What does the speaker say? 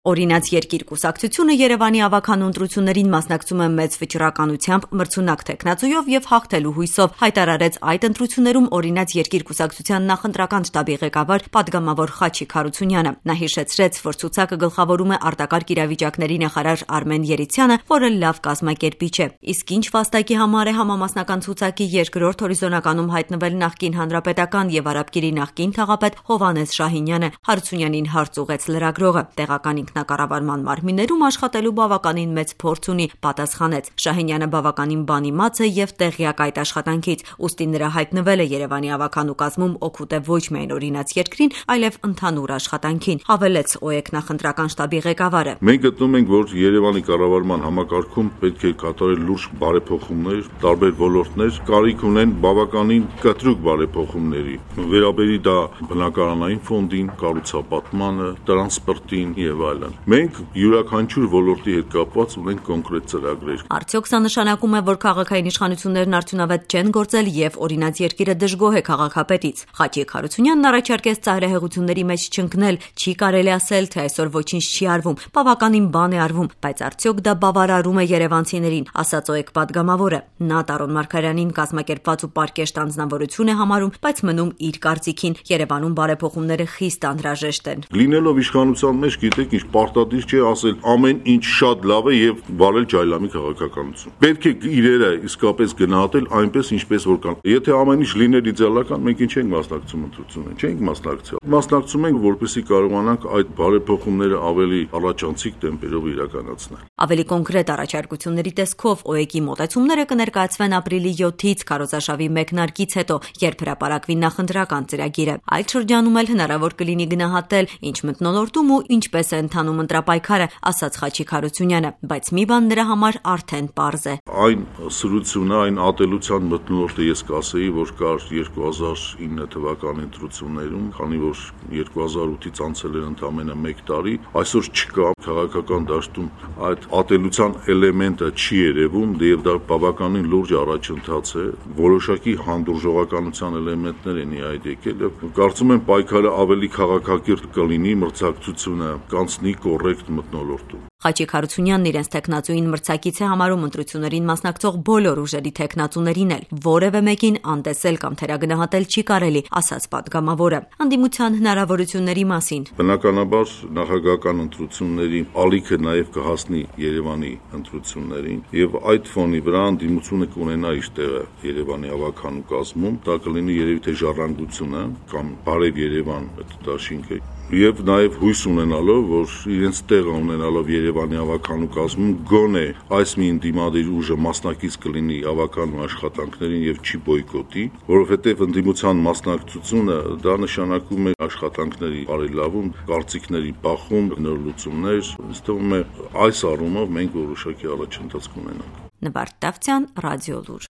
Օրինաց երկիր կուսակցությունը Երևանի ավագանու ընտրություններին մասնակցում է մեծ վճռականությամբ, մրցունակ թեկնածուով եւ հաղթելու հույսով, հայտարարեց այդ ընտրություններում Օրինաց երկիր կուսակցության նախընտրական շտաբի ղեկավար պատգամավոր Խաչիկ Հարությունյանը։ Նա հիշեցրեց, որ ցուցակը գլխավորում է արտակարգ իրավիճակների նախարար Արմեն Երիցյանը, որը լավ կազմակերպիչ է։ Իսկ ինչ վաստակի համար է համամասնական ցուցակի երկրորդ հորիզոնականում հայտնվել նախկին հանրապետական եւ Արաբկիրի նախկին քաղաքապետ Հովհաննես Շահինյանը, Հարությունյանին հարց ուղեց լրագրողը։ Տեղական ինքնակառավարման մարմիններում աշխատելու բավականին մեծ փորձ ունի, պատասխանեց։ Շահինյանը բավականին բանիմաց է եւ տեղյակ այդ աշխատանքից, ուստի նրա հայտնվելը Երևանի ավագանու կազմում օգուտ է ոչ միայն Օրինաց երկրին, այլև ընդհանուր աշխատանքին, հավելեց ՕԵԿ նախընտրական շտաբի ղեկավարը։ Մենք գտնում ենք, որ Երևանի կառավարման համակարգում պետք է կատարել լուրջ բարեփոխումներ, տարբեր ոլորտներ, կարիք ունեն բավականին կտրուկ բարեփոխումների։ Վերաբերի դա բնակարանային ֆոնդին, կառուցապատմանը, տրանսպորտին եւ այլն։ Մենք յուրաքանչյուր ոլորտի հետ կապված ունենք կոնկրետ ծրագրեր։ Արդյոք սա նշանակում է, որ քաղաքային իշխանություններն արդյունավետ չեն գործել եւ Օրինաց երկիրը դժգոհ է քաղաքապետից։ Խաչիկ Հարությունյանն առաջարկեց ծայրահեղությունների մեջ չընկնել, չի կարելի ասել, թե այսօր ոչինչ չի արվում, բավականին բան է արվում, բայց արդյոք դա բավարարում է երևանցիներին, ասաց ՕԵԿ պատգամավորը։ Նա Տարոն Մարգարյանին կազմակերպված ու պարկեշտ անձնավորություն է համարում, բայց մնում իր կարծիքին, Երևանում բարեփոխումները խիստ անհրաժեշտ են։ Լինելով իշխանության մեջ, գիտեք, ինչ պարտադիր չէ ասել ամեն ինչ շատ լավ է եւ վարել ջայլամի քաղաքականություն։ Պետք է իրերը իսկապես գնահատել այնպես, ինչպես որ կան։ Եթե ամեն ինչ լիներ իդեալական, մենք ինչ ենք մասնակցում ընտրություններին, չենք մասնակցել։ Մասնակցում ենք, որպեսզի կարողանանք այդ բարեփոխումները ավելի առաջանցիկ տեմպերով իրականացնել։ Ավելի կոնկրետ առաջարկությունների տեսքով ՕԵԿ-ի մոտեցումները կներկայացվեն ապրիլի 7-ից քարոզարշավի մեկնարկից հետո, երբ հրապարակվի նախընտրական ծրագիրը։ Այդ շրջանում էլ հնարավոր կլինի գնահատել, ինչ մթնոլորտում ու ինչպես է ընթանում ընտրապայքարը, ասաց Խաչիկ Հարությունյանը, բայց մի բան նրա համար արդեն պարզ է։ Այն սրությունը, այն ատելության մթնոլորտը ես կասեի, որ կար 2009 թվականի ընտրություններում, քանի որ 2008-ից անցել էր ընդամենը 1 տարի, այսօր չկա քաղաքական դաշտում այդ ատելության էլեմենտը չի երևում, եւ դա բավականին լուրջ առաջընթաց է, որոշակի հանդուրժողականության էլեմենտներ են այդ եկել, կարծում եմ պայքարը ավելի քաղաքակիրթ կլինի, մրցակցությունը կանցնի կոռեկտ մթնոլորտում։ Խաչիկ Հարությունյանն իրենց թեկնածուին մրցակից է համարում ընտրություններին մասնակցող բոլոր ուժերի թեկնածուներին էլ, որևէ մեկին անտեսել կամ թերագնահատել չի կարելի, ասաց պատգամավորը։ Ընդդիմության հնարավորությունների մասին։ Բնականաբար նախագահական ընտրությունների ալիքը նաև կհասնի Երևանի ընտրություններին եւ այդ ֆոնի վրա ընդդիմությունը կունենա իր տեղը Երևանի ավագանու կազմում, դա կլինի երևի թե ժառանգությունը կամ Բարև Երևան դաշինքը եւ նաեւ հույս ունենալով, որ իրենց տեղը ունենալով Երևանի ավագանու կազմում գոնե այս մի ընդդիմադիր ուժը մասնակից կլինի ավագանու աշխատանքներին եւ չի բոյկոտի, որովհետեւ ընդդիմության մասնակցությունը դա նշանակում է աշխատանքների բարելավում, կարծիքների բախում, նոր լուծումներ, ինձ թվում է այս առումով մենք որոշակի առաջընթաց կունենանք։ Նվարդ Տավթյան, Ռադիոլուր։